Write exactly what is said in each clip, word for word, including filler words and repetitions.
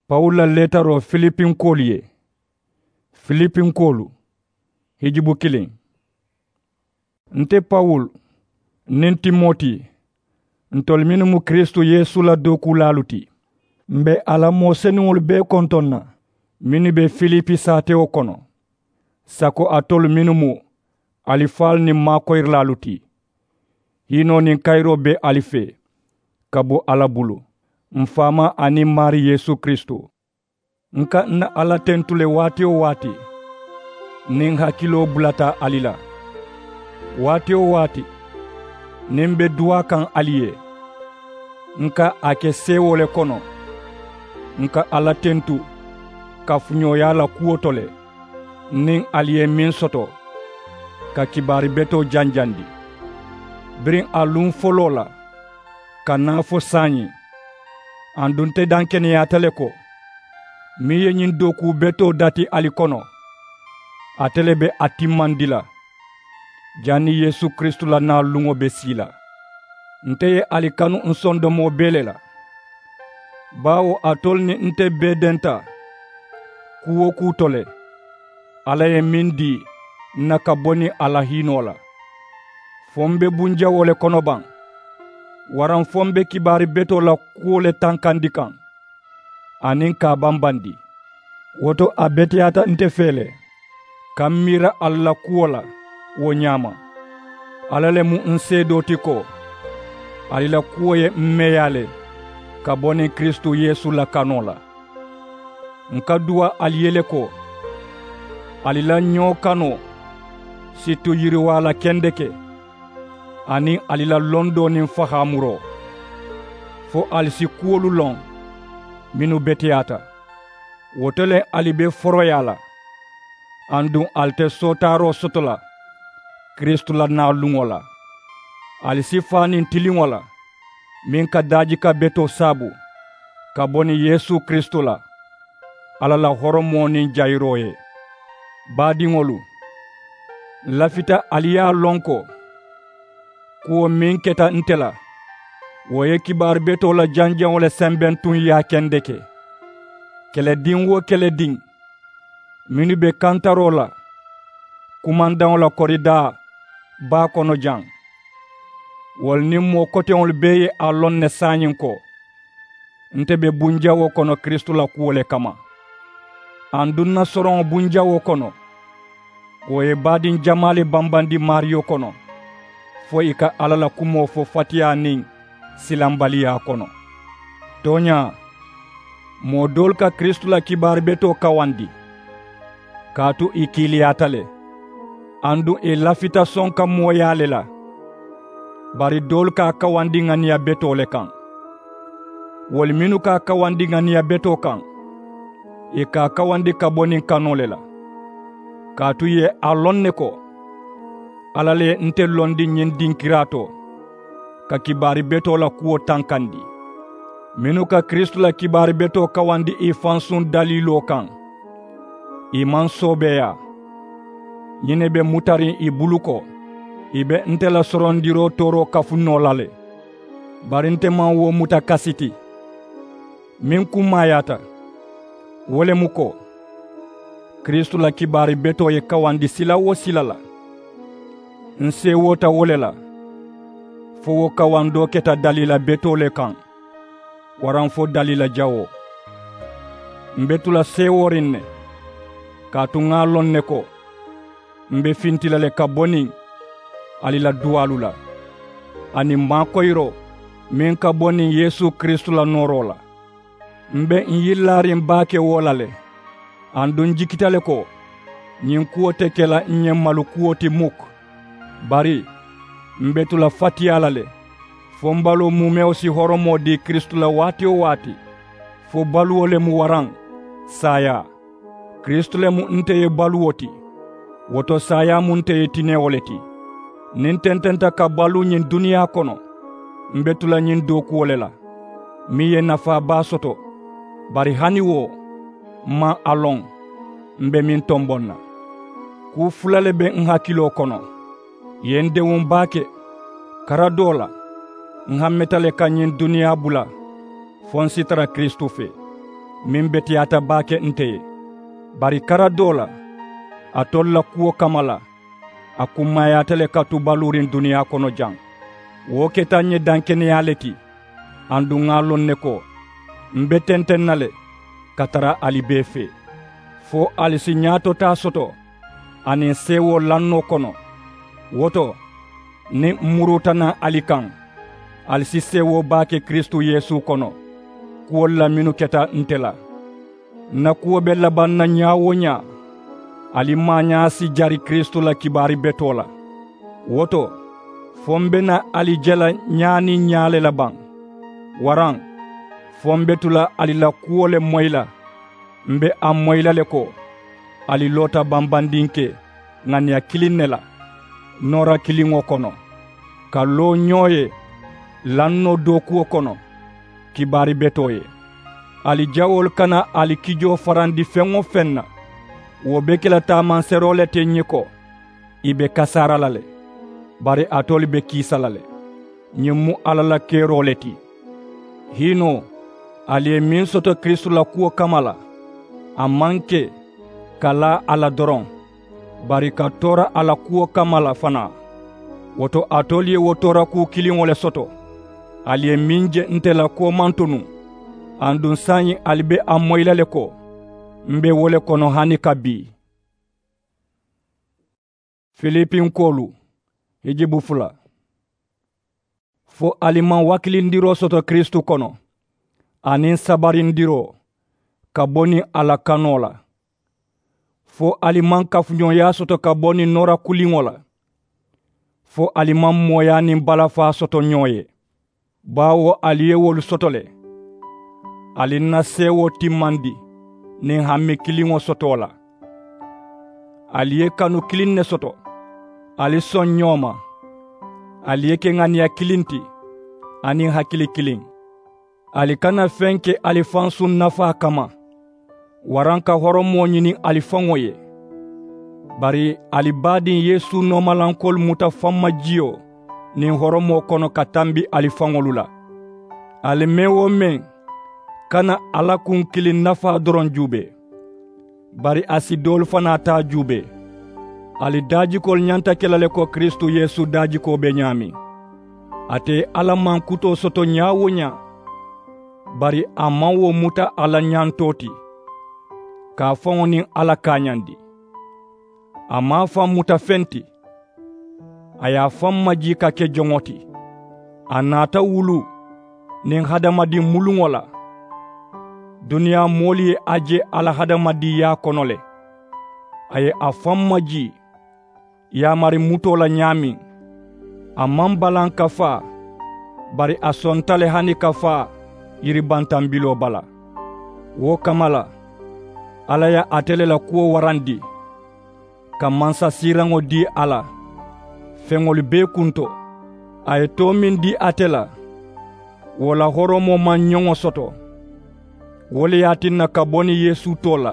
Pawulu la leetaroo filipinkoolu ye. Filipinkoolu. Hijubu kiliŋ. Nte pawulu niŋ timoti, ntolu mennu mu kiristu yeesu la dookuulaalu ti, m be a la moo senuŋolu bee kontoŋ na mennu be filipi saatewo kono, sako alitolu mennu mu alifaalu niŋ maakoyirilaalu ti. Hiinoo niŋ kayiroo be ali fee ka bo alla bulu, m faamaa aniŋ maari yeesu kiristu. N ka n na alla tentu le waati-wo-waati niŋ n hakiloo bulata ali la. Waati-wo-waati niŋ m be duwaa kaŋ ali ye, n ka a ke seewoo le kono. N ka alla tentu kafuñooyaa la kuwo to le, niŋ ali ye meŋ soto ka kibaari betoo janjandi biriŋ a luŋ foloo la ka naa fo saayiŋ. Aduŋ nte dankeneyaata le ko meŋ ye ñiŋ dookuu betoo dati ali kono, ate le be a timmandi la janniŋ yeesu kiristu la naa luŋo be sii la. Nte ye ali kanu n sondomoo bee le la, baawo alitolu niŋ nte bee denta kuu-wo-kuu to le. Alla ye meŋ dii n na ka bo niŋ a la hiinoo la, fo m be bunjawoo le kono baŋ, waraŋ fo m be kibaari betoo la kuwo le tankandi kaŋ aniŋ ka a bambandi. Wo to a beteyaata nte fee le ka m miira ali la kuwo la wo ñaama. Alla le mu n seedoo ti ko ali la kuwo ye m meeyaa le ka bo niŋ kiristu yeesu la kanoo la. N ka duwaa ali ye le ko ali la ñoo kanoo si tu yiriwaa la kendeke, aniŋ ali la londoo niŋ fahaamuroo, fo ali si kuwolu loŋ mennu beteyaata. Wo to le ali be foroyaa la, aduŋ ali te sootaaroo soto la kiristu la naa luŋo la. Ali si faa niŋ tiliŋo la meŋ ka daajika betoo saabu ka bo niŋ yeesu kiristu la, alla la horomoo niŋ jayiroo ye. Baadiŋolu, n lafita ali ye a loŋ ko kuwo meŋ keta nte la, wo ye kibaari betoo la janjaŋo le sembentuŋ yaakendeke. Kelediŋ-wo-kelediŋ mennu be kantaroo la kumandaŋo la koridaa baa kono jaŋ, wolu niŋ moo koteŋolu bee ye a loŋ ne saayiŋ ko nte be bunjawoo kono kiristu la kuwo le kamma. Aduŋ n na soroŋo bunjawoo kono, wo ye baadiŋ jamaa le bambandi maariyo kono, fo ì ka alla la kumoo fo fatiyaa niŋ silambaliyaa kono. Tooñaa, moo doolu ka kiristu la kibaari betoo kawandi, kaatu ì kiiliyaata le, aduŋ ì lafita sonka mooyaa le la. Bari doolu ka a kawandi ŋaniya betoo le kaŋ. Wolu mennu ka a kawandi ŋaniya betoo kaŋ, ì ka a kawandi ka bo niŋ kanoo le la. Kaatu ì ye a loŋ ne ko alla le ye nte londi ñiŋ dinkiraa to ka kibaari betoo la kuwo tankandi. Mennu ka kiristu la kibaari betoo kawandi ì fansuŋ daliiloo kaŋ, ì maŋ soobeeyaa. Ñiŋ ne be mutariŋ ì bulu ko ì be nte la sorondiroo tooroo kafu noo la le. Bari nte maŋ wo muta kasi ti. Meŋ kummaayaata, wo le mu ko kiristu la kibaari betoo ye kawandi sila-wo-sila la. N seewoota wo le la, fo wo kawandoo keta daliila betoo le kaŋ, waraŋ fo daliila jawoo. M be tu la seewooriŋ ne, kaatu ŋa a loŋ ne ko m be finti la le ka bo niŋ ali la duwaalu la, aniŋ maakoyiroo meŋ ka bo niŋ yeesu kiristu la nooroo la. M be n yillaariŋ baake wo la le, aduŋ n jikita le ko ñiŋ kuwo te ke la n ñemmalu kuwo ti muk. Bari m be tu la fatiyaa la le, fo m baloo muumewo si horomoo dii kiristu la waati-wo-waati. Fo baluwo le mu waraŋ saayaa. Kiristu le mu nte ye baluwo ti, wo to saayaa mu nte ye tinewo le ti. Niŋ n tententa ka baluu ñiŋ duniyaa kono, m be tu la ñiŋ dookuwo le la, meŋ ye nafaa baa soto. Bari hani wo, m maŋ a loŋ m be meŋ tomboŋ na. Kuu fula le be n hakiloo kono. Ì ye n dewuŋ baake. Kara doo la, n hammeta le ka ñiŋ duniyaa bula fo n si tara kiristu fee. meŋ beteyaata baake nte ye. Bari kara doo la, alitolu la kuwo kamma la, a kummaayaata le ka tu baluuriŋ duniyaa kono jaŋ. Wo keta ǹ ye dankeneyaa le ti. Aduŋ ŋà a loŋ ne ko, m̀ be tenteŋ na le ka tara ali bee fee, fo ali si ñaatotaa soto aniŋ seewoo lannoo kono. Wo to, niŋ m̀ muruuta naŋ ali kaŋ, ali si seewoo baake kiristu yeesu kono, kuwolu la mennu keta nte la. Ǹ na kuwo be labaŋ na ñaa-wo-ñaa, ali maañaa si jari kiristu la kibaari betoo la. Wo to, fo m̀ be naa ali je la ñaa niŋ ñaa le la baŋ? Waraŋ, fo m̀ be tu la ali la kuwo le moyi la? M̀ be a moyi la le ko, ali loota bambandinke ŋaniya kiliŋ ne la, noora kiliŋo kono, ka loo ñoo ye lannoo dookuwo kono, kibaari betoo ye. Ali jawoolu kana ali kijoo farandi feŋ-wo-feŋ na. Wo be ke la taamanseeroo le ti ǹ ye ko, ì be kasaara la le, bari alitolu be kiisa la le. Ñiŋ mu alla la keroo le ti. Hiinoo, ali ye meŋ soto kiristu la kuwo kamma la, a maŋ ke ka laa a la doroŋ, bari ka toora a la kuwo kamma la fanaa. Wo to alitolu ye wo toorakuu kiliŋo le soto. Ali ye meŋ je nte la koomanto nuŋ, aduŋ saayiŋ ali be a moyi la le ko, m̀ be wo le kono hani ka bii. Filipinkoolu, hijibu fula. Fo ali maŋ wakilindiroo soto kiristu kono, aniŋ sabarindiroo ka bo niŋ a la kanoo la? Fo ali maŋ kafuñooyaa soto ka bo niŋ noora kuliŋo la? Fo ali maŋ mooyaa niŋ balafaa soto ñoo ye? Baawo ali ye wolu soto le. Ali ǹ na seewoo timmandi niŋ hami kiliŋo sotoo la. Ali ye kanu kiliŋ ne soto. Ali soŋ ñoo ma. Ali ye ke ŋaniya kiliŋ ti, aniŋ hakili kiliŋ. Ali kana feŋ ke ali fansuŋ nafaa kamma, waraŋ ka horomoo ñini ali faŋo ye. Bari ali baadiŋ yeesu noomalankoolu muta fammajiyo niŋ horomoo kono ka tambi ali faŋolu la. Ali meŋ-wo-meŋ kana alla kuŋ kiliŋ nafaa doroŋ juubee, bari a si doolu fanaa taa juubee. Ali daajikoolu ñanta ke la le ko kiristu yeesu daajikoo be ñaameŋ. Ate ye alla mankutoo soto ñaa-wo-ñaa, bari a maŋ wo muta a la ñantoo ti, ka a faŋo niŋ alla kaañandi. A maŋ a faŋ muta feŋ ti. A ye a faŋ majii ka ke joŋo ti. A naata wuluu niŋ hadamadiŋ muluŋo la. Duniyaa moolu ye a je a la hadamadiŋyaa kono le. A ye a faŋ majii yaamari mutoo la ñaameŋ. A maŋ balaŋ ka faa, bari a sonta le hani ka faa yiribantambiloo bala. Wo kamma la, alla ye ate le la kuwo warandi, ka mansasiiraŋo dii a la feŋolu bee kunto. A ye too meŋ dii ate la, wo la horomoo maŋ ñoŋo soto. Wo le ye a tinna ka bo niŋ yeesu too la,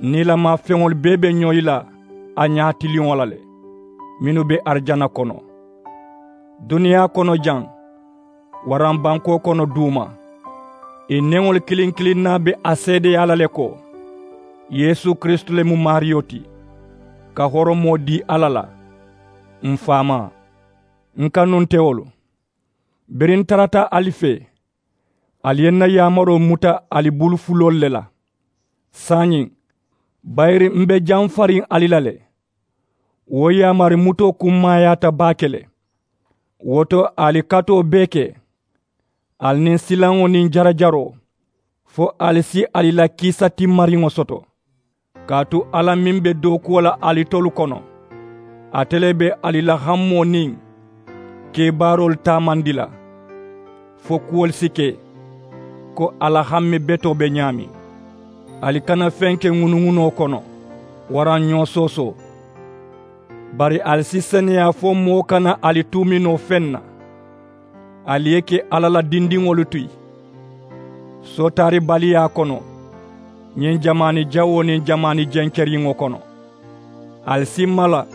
niilamaa feŋolu bee be ñoyi la a ñaatiliŋo la le, mennu be arijana kono. Duniyaa kono jaŋ, waraŋ bankoo kono duuma, ì neŋolu kiliŋ kiliŋ naa be a seedeyaa la le ko, yeesu kiristu le mu maariyo ti, ka horomoo dii alla la. M̀ faamaa, ǹ kanuntewolu, biriŋ ǹ tarata ali fee, ali ye ǹ na yaamaroo muta ali bulu fuloolu le la. Saayiŋ, bayiri m̀ be jamfariŋ ali la le. Wo yaamari mutoo kummaayaata baake le. Wo to, ali katoo bee ke, ali niŋ silaŋo niŋ jarajaroo, fo ali si ali la kiisa timmariŋo soto. Kaatu alla meŋ be dookuwo la alitolu kono, ate le be ali la hamoo niŋ kebaaroolu taamandi la, fo kuwolu si ke ko a la hamme betoo be ñaameŋ. Ali kana feŋ ke ŋunuŋunoo kono, waraŋ ñoo soosoo. Bari ali si seneyaa fo moo kana ali tuumi noo feŋ na. Ali ye ke alla la dindiŋolu ti sootaaribaliyaa kono, ñiŋ jamaani jawoo niŋ jamaani jenkeriŋo kono. Ali si mala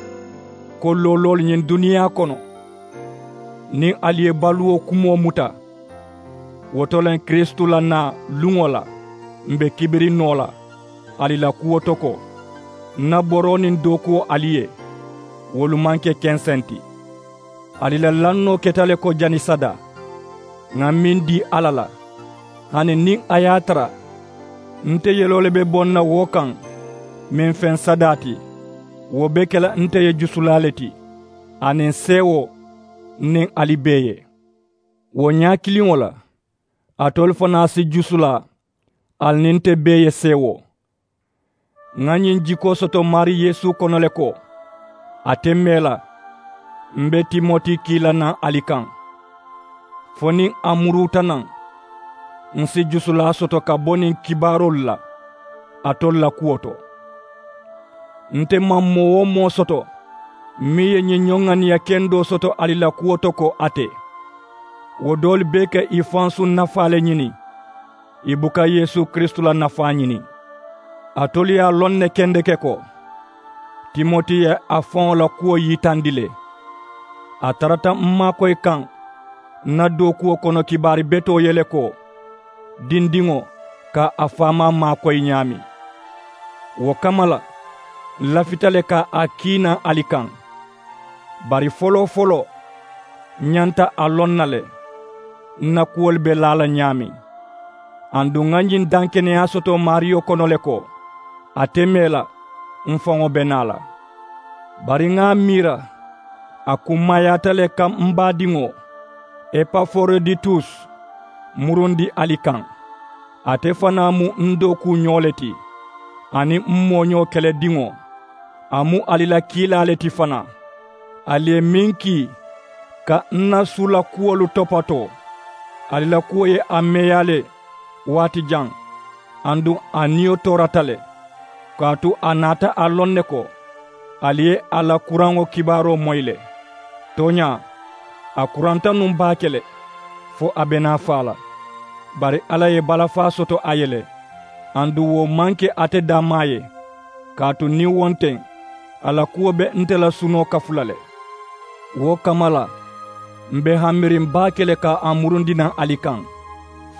ko looloolu ñiŋ duniyaa kono, niŋ ali ye baluwo kumoo muta, wo to le kiristu la naa luŋo la. m̀ be kibiri noo la ali la kuwo to ko, ǹ na boroo niŋ dookuwo ali ye, wolu maŋ ke kenseŋ ti. Ali la lannoo keta le ko jani sadaa ŋà meŋ dii alla la, hani niŋ a ye a tara nte yeloo le be boŋ na wo kaŋ, meŋ feŋ sadaa ti wo be ke la nte ye jusulaa le ti, aniŋ seewoo niŋ ali bee ye. Wo ñaa kiliŋo la alitolu fanaa si jusulaa ali niŋ nte bee ye seewoo. Ŋà ñiŋ jikoo soto maarii yeesu kono le ko, a te mee la m̀ be timoti kii la naŋ ali kaŋ, fo niŋ a muruuta naŋ ǹ si jusulaa soto ka bo niŋ kibaaroolu la alitolu la kuwo to. Nte maŋ moo-wo-moo soto meŋ ye ñiŋ ñoŋŋaniya kendoo soto ali la kuwo to ko a te. Wo doolu bee ka ì fansuŋ nafaa le ñini, ì buka yeesu kiristu la nafaa ñini. Alitolu ye a loŋ ne kendeke ko, timoti ye a faŋo la kuwo yitandi le. A tarata m maakoyi kaŋ ǹ na dookuwo kono kibaari betoo ye le ko, dindiŋo ka a faamaa maakoyi ñaameŋ. Wo kamma la ǹ lafita le ka a kii naŋ ali kaŋ. Bari foloo-foloo ǹ ñanta a loŋ na le ǹ na kuwolu be laa la ñaameŋ. Aduŋ ŋà ñiŋ dankeneyaa soto maariyo kono le ko, a te mee la, m faŋo be naa la. Bari ŋà a miira a kummaayaata le ka m baadiŋo epaforoditus murundi ali kaŋ. Ate fanaa mu m dookuuñoo le ti aniŋ m mooñoo kelediŋo. A mu ali la kiilaa le ti fanaa. Ali ye meŋ kii ka m na suu la kuwolu topatoo, ali la kuwo ye a meeyaa le waati jaŋ. Aduŋ a niyo toorata le kaatu a naata a loŋ ne ko ali ye a la kuraŋo kibaaroo moyi le. Tooñaa, a kuranta nuŋ baake le fo a be naa faa la. Bari alla ye balafaa soto a ye le. Aduŋ wo maŋ ke ate dammaa ye, kaatu niŋ wo nteŋ a la kuwo be nte la sunoo kafu la le. Wo kamma la m̀ be hanmiriŋ baake le ka a murundi naŋ ali kaŋ,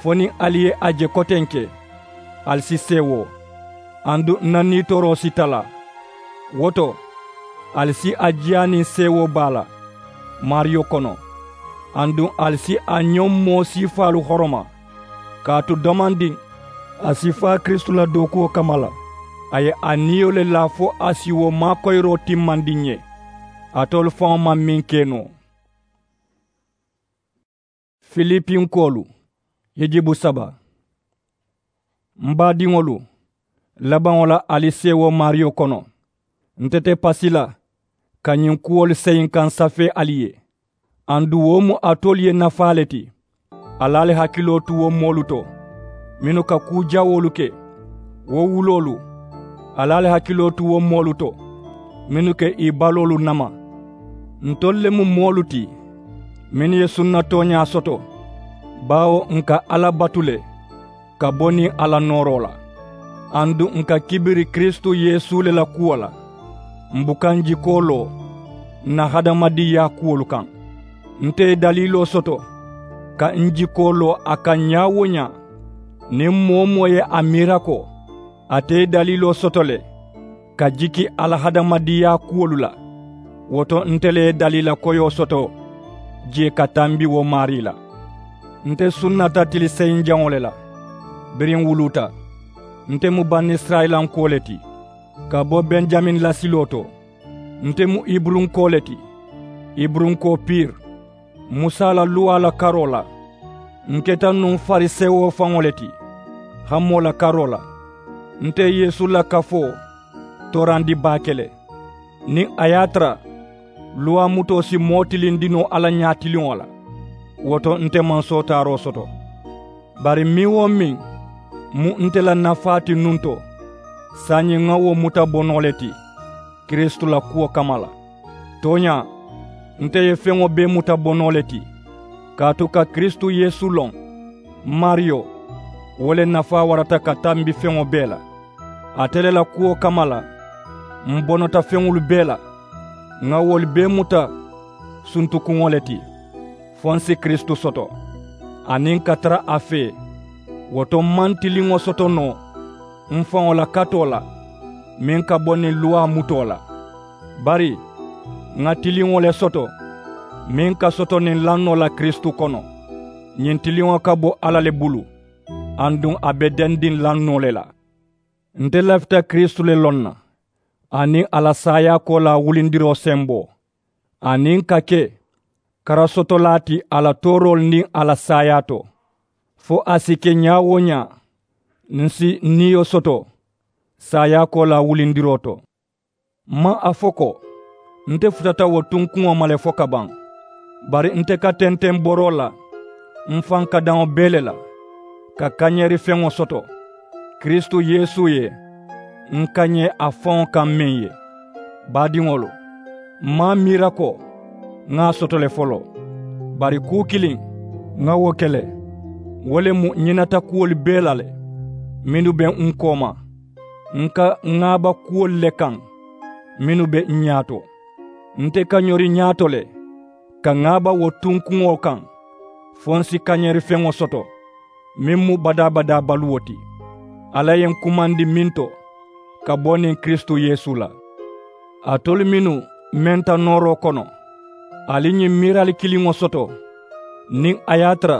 fo niŋ ali ye a je kotenke ali si seewoo, aduŋ ǹ na niitooroo si talaa. Wo to ali si a jiyaa niŋ seewoo baa la maariyo kono. Aduŋ ali si a ñoŋ moo siifaalu horoma, kaatu domandiŋ a si faa kiristu la dookuwo kamma la. A ye a niyo le laa fo a si wo maakoyiroo timmandi ǹ ye. Alitolu faŋo maŋ meŋ ke noo. Filipinkoolu hijibu saba. M baadiŋolu, labaŋo la ali seewoo maariyo kono, nte te pasi la ka ñiŋ kuwolu seyiŋ ka ǹ safee ali ye. Aduŋ wo mu alitolu ye nafaa le ti. Ali ali hakiloo tu wo moolu to mennu ka kuu jawoolu ke. Wo wuloolu, ali ali hakiloo tu wo moolu to mennu ka ì baloolu nama. Ntolu le mu moolu ti mennu ye sunna tooñaa soto, baawo ǹ ka alla batu le ka bo niŋ a la nooroo la. Aduŋ ǹ ka kibiri kiristu yeesu le la kuwo la. M̀ buka ǹ jikoo loo ǹ na hadamadiŋyaa kuwolu kaŋ. Nte ye daliiloo soto ka ǹ jikoo loo a kaŋ ñaa-wo-ñaa. Niŋ moo-wo-moo ye a miira ko ate ye daliiloo soto le ka jiki a la hadamadiŋyaa kuwolu la, wo to nte le ye daliila koyoo soto jee ka tambi wo maarii la. Nte sunnata tili seyinjaŋo le la biriŋ wuluuta. Nte mu banisirayilanko le ti ka bo benjamin lasiloo to. Nte mu iburunkoo le ti, iburunkoo piiri, musa la luwaa la karoo la. Ǹ keta nuŋ farisewo faŋo le ti hamoo la karoo la. Nte yeesu la kafoo toorandi baake le. Niŋ a ye a tara luwaa mutoo si moo tilinndi noo alla ñaatiliŋo la, wo to nte maŋ sootaaroo soto. Bari meŋ-wo-meŋ mu nte la nafaa ti nuŋ to, saayiŋ ŋa wo muta bonoo le ti kiristu la kuwo kamma la. Tooñaa, nte ye feŋo bee muta bonoo le ti kaatu ka kiristu yeesu loŋ, m maariyo, wo le nafaa warata ka tambi feŋo bee la. Ate le la kuwo kamma la, m bonota feŋolu bee la. Ŋa wolu bee muta suntukuŋo le ti fo n si kiristu soto aniŋ ka tara a fee. Wo to m maŋ tiliŋo soto noo m faŋo la katoo la meŋ ka bo niŋ luwaa mutoo la. Bari ŋà tiliŋo le soto meŋ ka soto niŋ lannoo la kiristu kono. Ñiŋ tiliŋo ka bo alla le bulu, aduŋ a be dendiŋ lannoo le la. Nte lafita kiristu le loŋ na, aniŋ a la saayaakoolaa wulindiroo semboo, aniŋ ka ke karasotolaa ti a la tooroolu niŋ a la saayaa to, fo a si ke ñaa-wo-ñaa m si niyo soto saayaakoolaa wulindiroo to. M maŋ a fo ko nte futata wo tunkuŋo ma le fo ka baŋ. Bari nte ka tenteŋ boroo la m faŋ kadaŋo bee le la, ka kañeerifeŋo soto kiristu yeesu ye, n kañee a faŋo kaŋ meŋ ye. Baadiŋolu, m maŋ a miira ko ŋà a soto le foloo. Bari kuu kiliŋ ŋà wo ke le, wo le mu ñinata kuwolu bee la le mennu be n kooma. N ka ŋaaba kuwolu le kaŋ mennu be n ñaato. Nte ka ñori ñaato le ka ŋaaba wo tunkuŋo kaŋ, fo n si kañeerifeŋo soto meŋ mu badaa-badaa baluwo ti. Alla ye n kumandi meŋ to ka bo niŋ kiristu yeesu la. Alitolu mennu menta nooroo kono, ali ñiŋ miirali kiliŋo soto. Niŋ a ye a tara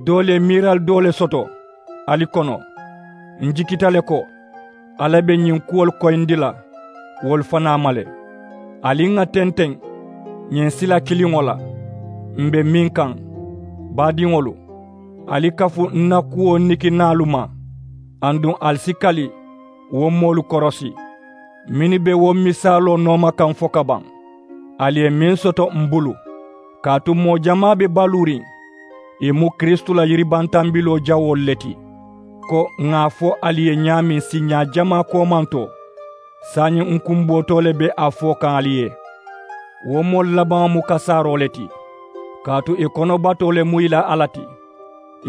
doolu ye miirali doo le soto ali kono, n jikita le ko alla be ñiŋ kuwolu koyindi la wolu fanaa ma le. Ali ŋà tenteŋ ñiŋ sila kiliŋo la m be meŋ kaŋ. Baadiŋolu, ali kafu n na kuwo nikinaalu ma, aduŋ ali si kali wo moolu korosi mennu be wo misaaloo nooma kaŋ fo ka baŋ. Ali ye meŋ soto m bulu, kaatu moo jamaa be baluuriŋ ì mu kiristu la yiribantambiloo jawoolu le ti. Ko ŋà a fo ali ye ñaameŋ siiñaa jamaa koomantoo, saayiŋ n kumbootoo le be a fo kaŋ ali ye. Wo moolu labaŋo mu kasaaroo le ti, kaatu ì konobatoo le mu ì la alla ti.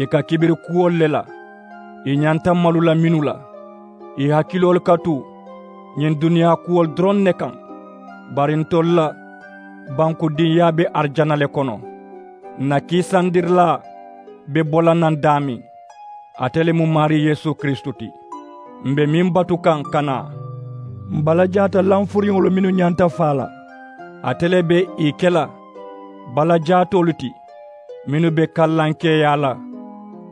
Ì ka kibiri kuwolu le la, ì ñanta malu la mennu la, ì hakiloolu ka tu ñiŋ duniyaa kuwolu doroŋ ne kaŋ. Bari ntolu la bankudinyaa be arijana le kono. N na kiisandirilaa be bo la naŋ daameŋ, ate le mu maarii yeesu kiristu ti. M be meŋ batu kaŋ ka naa, m balajaata lanfuriŋolu mennu ñanta faa la, ate le be ì ke la balajaatoolu ti mennu be kallankeeyaa la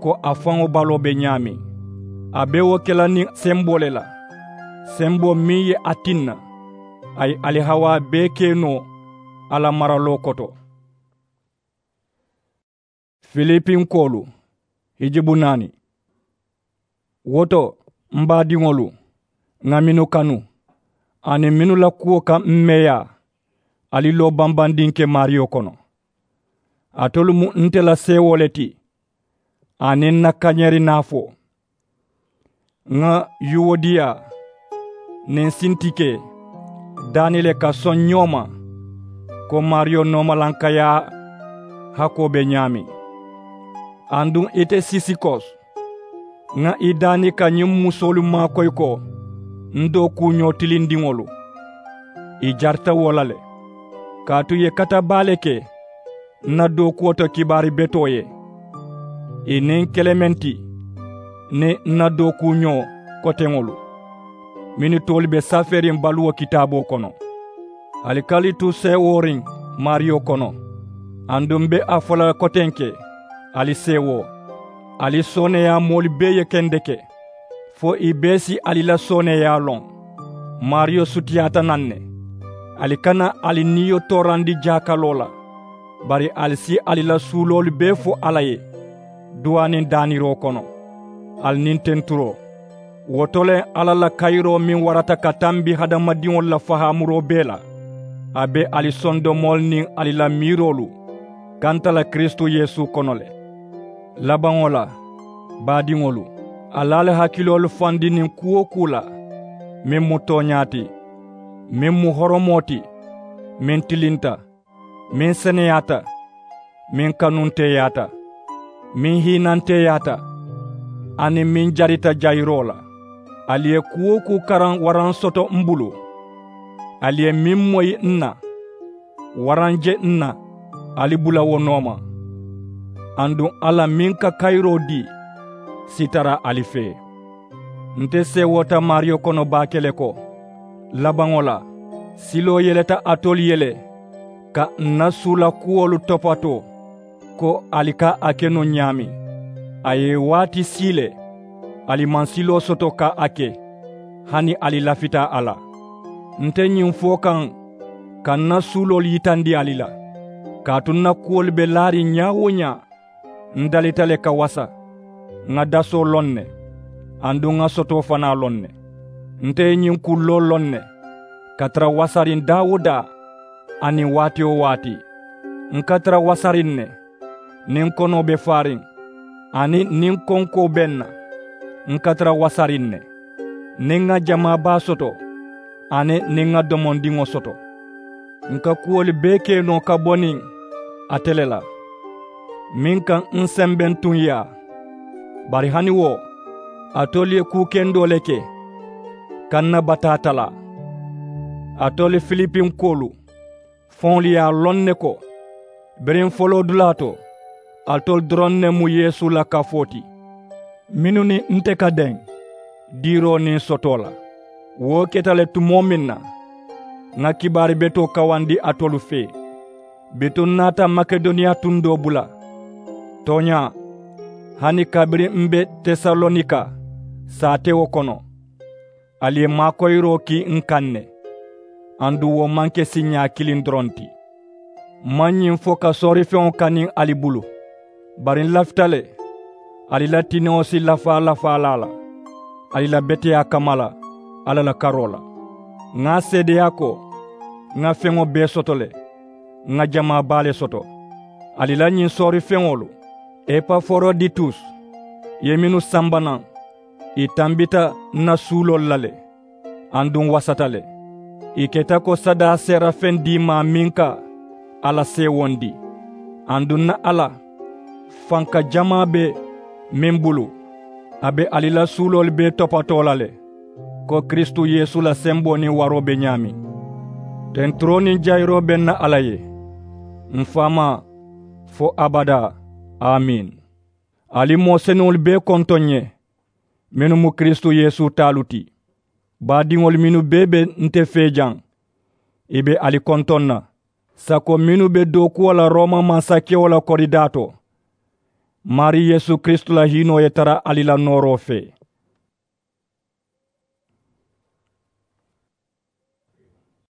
ko a faŋo baloo be ñaameŋ. A be wo ke la niŋ semboo le la, semboo meŋ ye a tinna a ye alihawaa bee ke noo a la maraloo koto. Filipinkoolu hijibu naani. Wo to, m baadiŋolu, ŋà mennu kanu aniŋ mennu la kuwo ka m meeyaa, ali loo bambandiŋ ke maariyo kono. Alitolu mu nte la seewoo le ti aniŋ n na kañeeri naafoo. Ŋà yuwodiya niŋ sintike daani le ka soŋ ñoo ma, ko maariyo noomalankayaa hakoo be ñaameŋ. Aduŋ ite sisikos, ŋà ì daani ka ñiŋ musoolu maakoyi ko n dookuuñoo tilindiŋolu. Ì jarita wo la le, kaatu ì ye kata baa le ke n na dookuwo to kibaari betoo ye. Ì niŋ kelementi niŋ n na dookuuñoo koteŋolu, mennu toolu be safeeriŋ baluwo kitaaboo kono. Ali ka ali tu seewooriŋ maariyo kono. Aduŋ m be a fo la kotenke, ali seewoo, ali sooneeyaa moolu bee ye kendeke, fo ì bee si ali la sooneeyaa loŋ. Maariyo sutiyaata naŋ ne. Ali kana ali niyo toorandi jaakaloo la, bari ali si ali la suuloolu bee fo alla ye duwaa niŋ daaniroo kono, ali niŋ tenturoo. Wo to le alla la kayiroo meŋ warata ka tambi hadamadiŋolu la fahaamuroo bee la, a be ali sondomoolu niŋ ali la miiroolu kanta la kiristu yeesu kono le. Labaŋo la, baadiŋolu, ali ali hakiloolu fandi niŋ kuu-wo-kuu la meŋ mu tooñaa ti, meŋ mu horomoo ti, meŋ tilinta, meŋ seneyaata, meŋ kanunteeyaata, meŋ hiinanteeyaata, aniŋ meŋ jarita jayiroo la. Ali ye kuu-wo-kuu karaŋ waraŋ soto m bulu. Ali ye meŋ moyi n na, waraŋ je n na, ali bula wo nooma. Aduŋ alla meŋ ka kayiroo dii si tara ali fee. Nte seewota maariyo kono baake le ko, labaŋo la siloo yeleta alitolu ye le ka ǹ na suula kuwolu topatoo, ko ali ka a ke noo ñaameŋ. A ye waati sii le, ali maŋ siloo soto ka a ke, hani ali lafita a la. Nte ñiŋ fo kaŋ ka ǹ na suuloolu yitandi ali la, kaatu ǹ na kuwolu be laariŋ ñaa-wo-ñaa. Ǹ dalita le ka wasa, ŋà dasoo loŋ ne, aduŋ ŋà sotoo fanaa loŋ ne. Nte ye ñiŋ kulloo loŋ ne, ka tara wasariŋ daa-wo-daa, aniŋ waati-wo-waati. Ǹ ka tara wasariŋ ne, niŋ konoo be faariŋ, aniŋ niŋ konkoo be ǹ na. Ǹ ka tara wasariŋ ne, niŋ ŋà jamaa baa soto, aniŋ niŋ ŋà domondiŋo soto. Ǹ ka kuwolu bee ke noo ka bo niŋ ate le la, meŋ ka ǹ sembentuŋ yaa. Bari hani wo, alitolu ye kuu kendoo le ke ka ǹ na bataa talaa. Alitolu filipinkoolu, faŋolu ye a loŋ ne ko, biriŋ foloodulaa to, alitolu doroŋ ne mu yeesu la kafoo ti, mennu niŋ nte ka deŋ diiroo niŋ sotoo la. Wo keta le tumoo meŋ na, ŋà kibaari betoo kawandi alitolu fee. Bituŋ ǹ naata makedoniya tundoo bula, tooñaa, hani kabiriŋ m̀ be tesalonika saatewo kono, ali ye maakoyiroo kii ǹ kaŋ ne. Aduŋ wo maŋ ke siiñaa kiliŋ doroŋ ti. M̀ maŋ ñiŋ fo ka soorifeŋo kani ali bulu, bari ǹ lafita le ali la tinewo si lafaa lafaalaa la ali la beteyaa kamma la alla la karoo la. Ŋà a seedeyaa ko, ŋà feŋo bee soto le, ŋà jamaa baa le soto. Ali la ñiŋ soorifeŋolu, epaforoditus ye mennu samba naŋ, ì tambita ǹ na suuloolu la le, aduŋ ǹ wasata le. Ì keta ko sadaa seerafeŋ diimaa meŋ ka alla seewondi. Aduŋ ǹ na alla, fanka jamaa be meŋ bulu, a be ali la suuloolu bee topatoo la le, ko kiristu yeesu la semboo niŋ waroo be ñaameŋ. Tenturoo niŋ jayiroo be ǹ na alla ye, m̀ faamaa, fo abadaa. Amiin. Ali moo senuŋolu bee kontoŋ ǹ ye, mennu mu kiristu yeesu taalu ti. Baadiŋolu mennu bee be nte fee jaŋ, ì be ali kontoŋ na, sako mennu be dookuwo la rooma mansakewo la koridaa to. Maarii yeesu kiristu la hiinoo ye tara ali la nooroo fee.